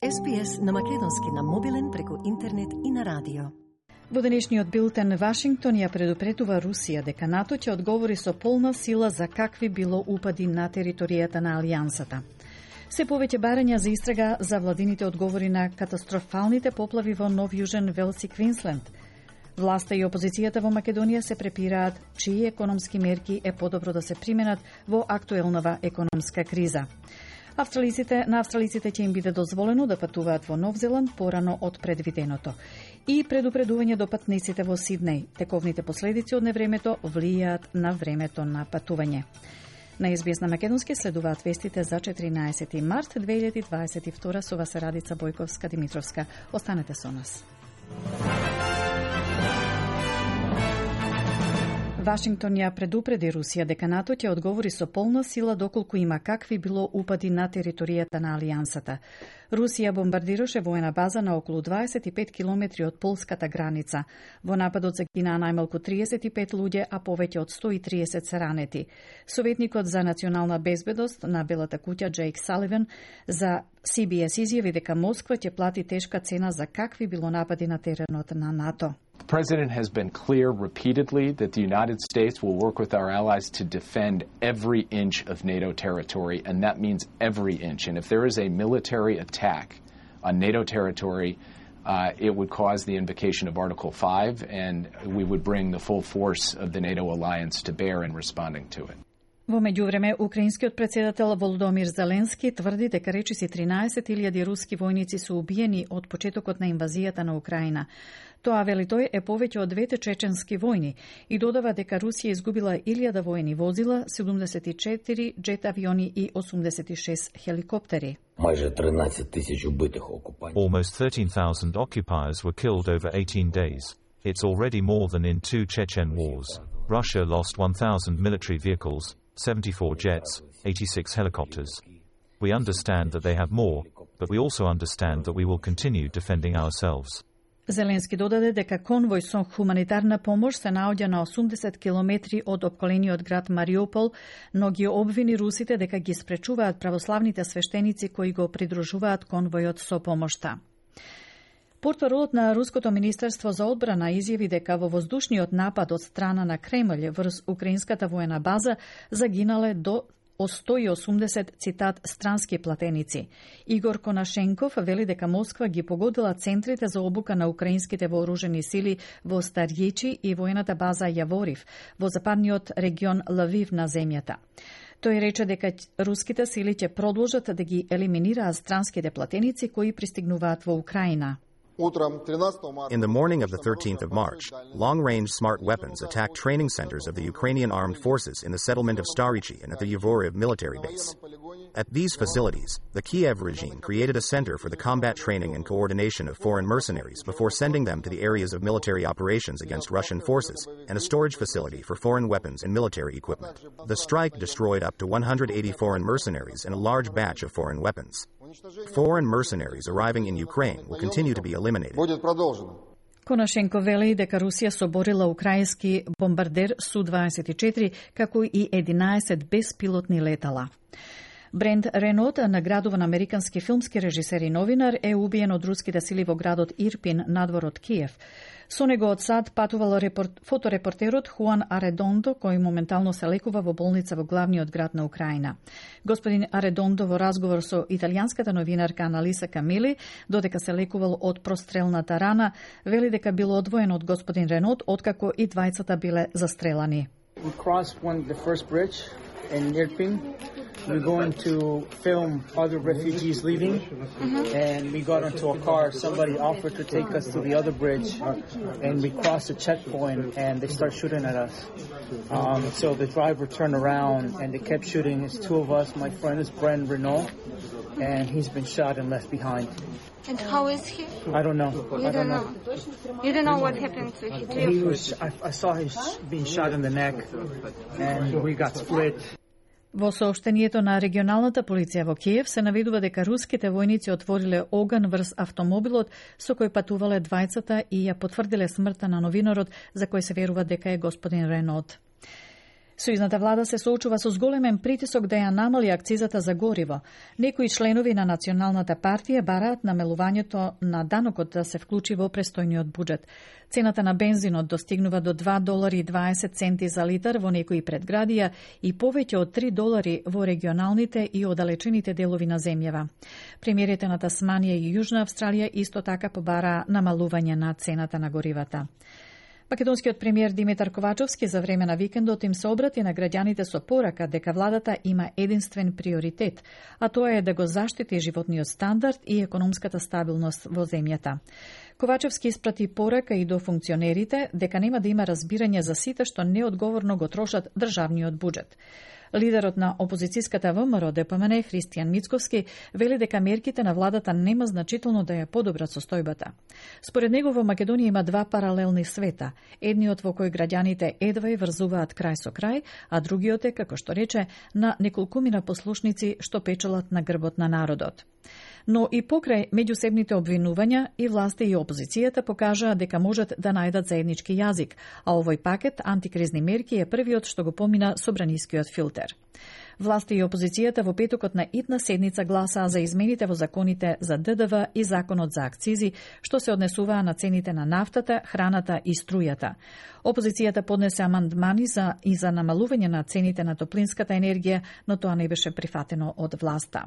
SPS на македонски на мобилен преку интернет и на радио. Во денешниот билтен Вашингтон ја предупредува Русија дека НАТО ќе одговори со полна сила за какви било упади на територијата на Алијансата. Се повеќе барања за истрага за владините одговори на катастрофалните поплави во Нов Јужен Велс и Квинсленд. Власта и опозицијата во Македонија се препираат чии економски мерки е подобро да се применат во актуелнава економска криза. На австралиците ќе им биде дозволено да патуваат во Нов Зеланд порано од предвиденото. И предупредување до патниците во Сиднеј. Тековните последици од невремето влијаат на времето на патување. На SBS на македонски следуваат вестите за 14 март 2022 со вас Радица Бојковска-Димитровска. Останете со нас. Вашингтон ја предупреди Русија дека НАТО ќе одговори со полна сила доколку има какви било упади на територијата на Алијансата. Русија бомбардираше воена база на околу 25 километри од полската граница. Во нападот загинаа најмалку 35 луѓе, а повеќе од 130 се ранети. Советникот за национална безбедност на Белата куќа Джейк Саливан за CBS изјави дека Москва ќе плати тешка цена за какви било напади на теренот на НАТО. The President has been clear repeatedly that the United States will work with our allies to defend every inch of NATO territory, and that means every inch. And if there is a military attack on NATO territory, it would cause the invocation of Article 5, and we would bring the full force of the NATO alliance to bear in responding to it. Во меѓувреме, украинскиот председател Володомир Зеленски тврди дека речиси 13.000 руски војници се убиени од почетокот на инвазијата на Украина. Тоа, вели тој, е повеќе од двете чеченски војни и додава дека Русија изгубила 1000 воени возила, 74 джет авиони и 86 хеликоптери. Майже 13,000 убитих окупантів. Almost 13,000 occupiers were killed over 18 days. It's already more than in 2 Chechen wars. Russia lost 1,000 military vehicles, 74 jets, 86 helicopters. We understand that they have more, but we also understand that we will continue defending ourselves. Зеленски додаде дека конвој со хуманитарна помош се наоѓа на 80 километри од опколениот град Мариупол, но ги обвини русите дека ги спречуваат православните свештеници кои го придружуваат конвојот со помошта. Портпаролот на Руското министерство за одбрана изјави дека во воздушниот напад од страна на Кремљ врз украинската воена база загинале до 180, цитат, странски платеници. Игор Конашенков вели дека Москва ги погодила центрите за обука на украинските вооружени сили во Старјичи и воената база Јаворив во западниот регион Лавив на земјата. Тој рече дека руските сили ќе продолжат да ги елиминираат странските платеници кои пристигнуваат во Украина. In the morning of the 13th of March, long-range smart weapons attacked training centers of the Ukrainian armed forces in the settlement of Starichi and at the Yavoriv military base. At these facilities, the Kiev regime created a center for the combat training and coordination of foreign mercenaries before sending them to the areas of military operations against Russian forces and a storage facility for foreign weapons and military equipment. The strike destroyed up to 180 foreign mercenaries and a large batch of foreign weapons. Foreign mercenaries arriving in Ukraine will continue to be eliminated. Конашенко вели дека Русија соборила украински бомбардер Су-24 како и 11 беспилотни летала. Брент Ренот, наградуван американски филмски режисер и новинар, е убиен од руските сили во градот Ирпин, надвор од Киев. Со него од САД патувал фоторепортерот Хуан Аредондо, кој моментално се лекува во болница во главниот град на Украина. Господин Аредондо во разговор со италијанската новинарка Аналиса Камили, додека се лекувал од прострелната рана, вели дека бил одвоен од господин Ренот, откако и двајцата биле застрелани. We crossed the first bridge in Irpin. We're going to film other refugees leaving, and we got into a car. Somebody offered to take us to the other bridge, and we crossed a checkpoint, and they start shooting at us. So the driver turned around, and they kept shooting. It's two of us. My friend is Brent Renault, and he's been shot and left behind. And how is he? I don't know. You don't know. You don't know what happened to him? I saw him being shot in the neck, and we got split. Во сообштението на регионалната полиција во Киев се наведува дека руските војници отвориле оган врз автомобилот со кој патувале двајцата и ја потврдиле смртта на новинарот за кој се верува дека е господин Ренот. Сојузната влада се соочува со зголемен притисок да ја намали акцизата за гориво. Некои членови на Националната партија бараат намалувањето на данокот да се вклучи во престојниот буџет. Цената на бензинот достигнува до $2.20 за литар во некои предградија и повеќе од $3 во регионалните и оддалечените делови на земјава. Премиерите на Тасманија и Јужна Австралија исто така побараа намалување на цената на горивата. Македонскиот премиер Димитар Ковачовски за време на викендот им се обрати на граѓаните со порака дека владата има единствен приоритет, а тоа е да го заштити животниот стандард и економската стабилност во земјата. Ковачевски испрати порака и до функционерите дека нема да има разбирање за сите што неодговорно го трошат државниот буџет. Лидерот на опозицијската ВМРО ДПМН Христијан Мицковски вели дека мерките на владата нема значително да ја подобрат состојбата. Според него во Македонија има два паралелни света, едниот во кој граѓаните едва ја врзуваат крај со крај, а другиот е, како што рече, на неколкумина послушници што печелат на грбот на народот. Но и покрај меѓусебните обвинувања и власти и опозицијата покажаа дека можат да најдат заеднички јазик, а овој пакет антикризни мерки е првиот што го помина собранискиот филтер. Власти и опозицијата во петокот на итна седница гласаа за измените во законите за ДДВ и законот за акцизи, што се однесуваа на цените на нафтата, храната и струјата. Опозицијата поднесе амандмани за намалување на цените на топлинската енергија, но тоа не беше прифатено од власта.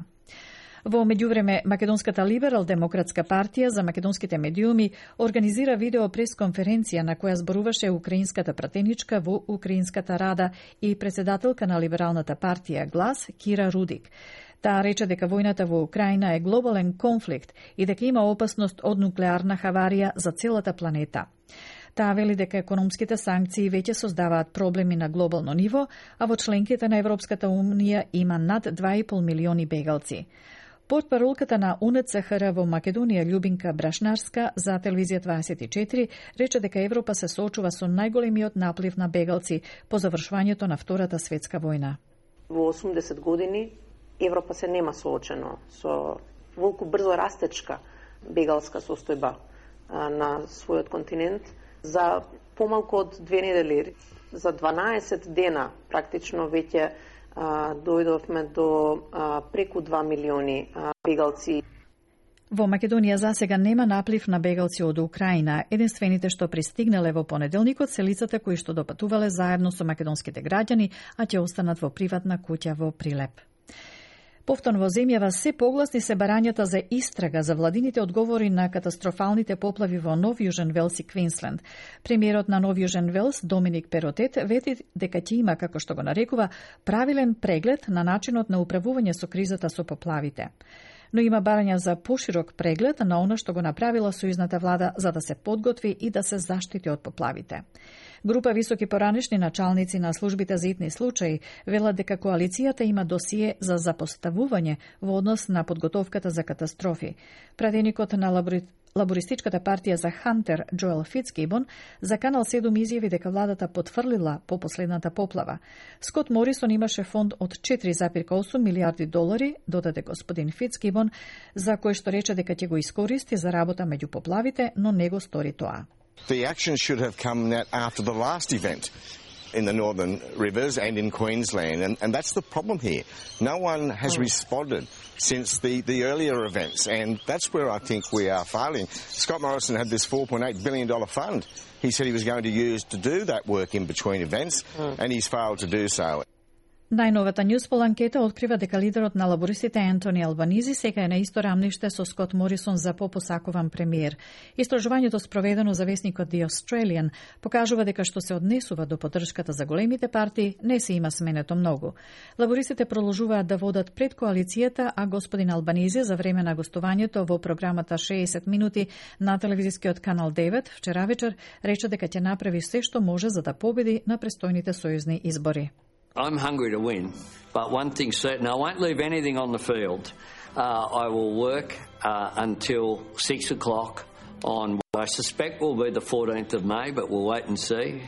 Во меѓувреме, Македонската либерал-демократска партија за македонските медиуми организира видео пресконференција на која зборуваше украинската пратеничка во Украинската рада и председателка на либералната партија Глас Кира Рудик. Таа рече дека војната во Украина е глобален конфликт и дека има опасност од нуклеарна хаварија за целата планета. Таа вели дека економските санкции веќе создаваат проблеми на глобално ниво, а во членките на Европската унија има над 2,5 милиони бегалци. Портпаролката на УНЦХР во Македонија Љубинка Брашнарска за телевизија 24 рече дека Европа се соочува со најголемиот наплив на бегалци по завршувањето на Втората светска војна. Во 80 години Европа се нема соочено со волку брзо растечка бегалска состојба на својот континент. За помалку од 2 недели, за 12 дена практично веќе дојдовме до преку 2 милиони бегалци. Во Македонија засега нема наплив на бегалци од Украина. Единствените што пристигнале во понеделникот се лицата кои што допатувале заедно со македонските граѓани, а ќе останат во приватна куќа во Прилеп. Повторно во земјава се погласни се барањата за истрага за владините одговори на катастрофалните поплави во Нов Јужен Велс и Квинсленд. Премиерот на Нов Јужен Велс, Доминик Перотет, вети дека ќе има, како што го нарекува, правилен преглед на начинот на управување со кризата со поплавите. Но има барања за поширок преглед на она што го направила сојузната влада за да се подготви и да се заштити од поплавите. Група високи поранешни началници на службите за итни случаи велат дека коалицијата има досие за запоставување во однос на подготовката за катастрофи. Пратеникот на лабористичката партија за Хантер, Джоел Фицгибон, за Канал 7 изјави дека владата потврлила по последната поплава. Скот Морисон имаше фонд од $4,8 милиарди, додаде господин Фицгибон, за кој што рече дека ќе го искористи за работа меѓу поплавите, но не го стори тоа. The action should have come after the last event in the northern rivers and in Queensland, and that's the problem here. No one has responded since the earlier events, and that's where I think we are failing. Scott Morrison had this $4.8 billion fund he said he was going to use to do that work in between events, and he's failed to do so. Најновата Newspoll анкета открива дека лидерот на лабористите Ентони Албанизи сега е на исто рамниште со Скот Морисон за попосакуван премиер. Истражувањето спроведено за весникот The Australian покажува дека што се однесува до поддршката за големите партии не се има сменето многу. Лабористите продолжуваат да водат пред коалицијата, а господин Албанизи за време на гостувањето во програмата 60 минути на телевизискиот канал 9 вчера вечер рече дека ќе направи се што може за да победи на престојните сојузни избори. I'm hungry to win, but one thing's certain, I won't leave anything on the field. I will work until 6 o'clock on what I suspect will be the 14th of May, but we'll wait and see.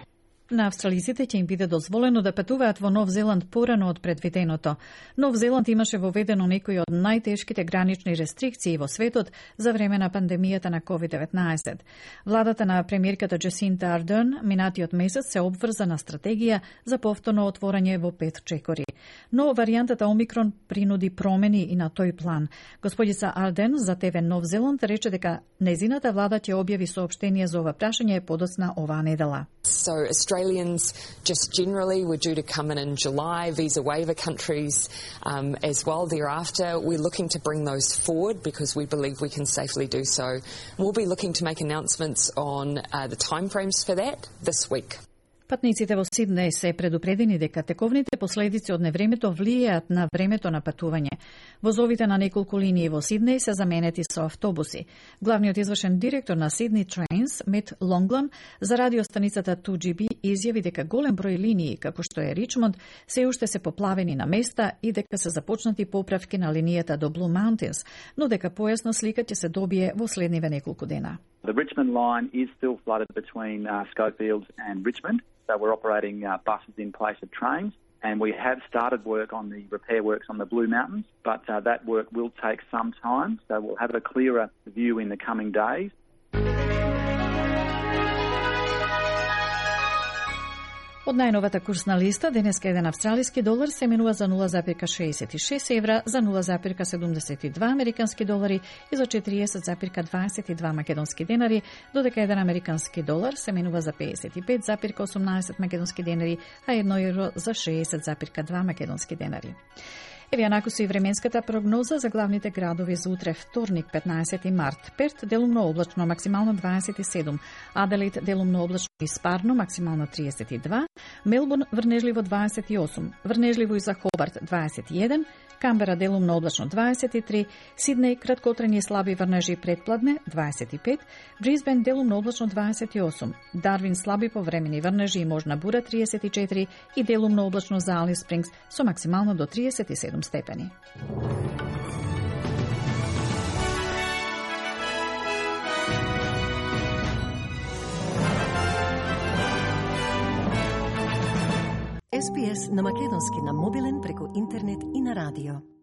На австралиците ќе им биде дозволено да патуваат во Нов Зеланд порано од предвиденото. Нов Зеланд имаше воведено некои од најтешките гранични рестрикции во светот за време на пандемијата на COVID-19. Владата на премиерката Джесинта Ардерн минатиот месец се обврза на стратегија за повторно отворање во 5 чекори. Но варијантата Омикрон принуди промени и на тој план. Господица Ардерн за ТВ Нов Зеланд рече дека незината влада ќе објави соопштение за ова прашање подоцна оваа недела. So Australians just generally were due to come in July, visa waiver countries as well thereafter. We're looking to bring those forward because we believe we can safely do so. We'll be looking to make announcements on the timeframes for that this week. Патниците во Сиднеј се предупредени дека тековните последици од невремето влијаат на времето на патување. Возовите на неколку линии во Сиднеј се заменети со автобуси. Главниот извршен директор на Sydney Trains, Мет Лонглан, за радиостаницата 2GB изјави дека голем број линии, како што е Ричмонд, се уште се поплавени на места и дека се започнати поправки на линијата до Blue Mountains, но дека појасна слика ќе се добие во следниве неколку дена. The Richmond line is still flooded between Schofields and Richmond. So we're operating buses in place of trains, and we have started work on the repair works on the Blue Mountains, but that work will take some time, so we'll have a clearer view in the coming days. Од најновата курсна листа, денеска еден австралиски долар се менува за 0,66 евра, за 0,72 американски долари и за 40,22 македонски денари, додека еден американски долар се менува за 55,18 македонски денари, а 1 евро за 60,2 македонски денари. Еве накусу и временската прогноза за главните градови за утре, вторник, 15 март. Перт делумно облачно, максимално 27. Аделаид делумно облачно и спарно, максимално 32. Мелбурн врнежливо 28. Врнежливо и за Хобарт 21. Камбера делумно облачно 23. Сиднеј краткотрени и слаби врнежи предпладне 25. Брисбен делумно облачно 28. Дарвин слаби повремени врнежи и можна бура 34 и делумно облачно за Алис Спрингс со максимално до 37 степени. SPS на македонски на мобилен преку интернет и на радио.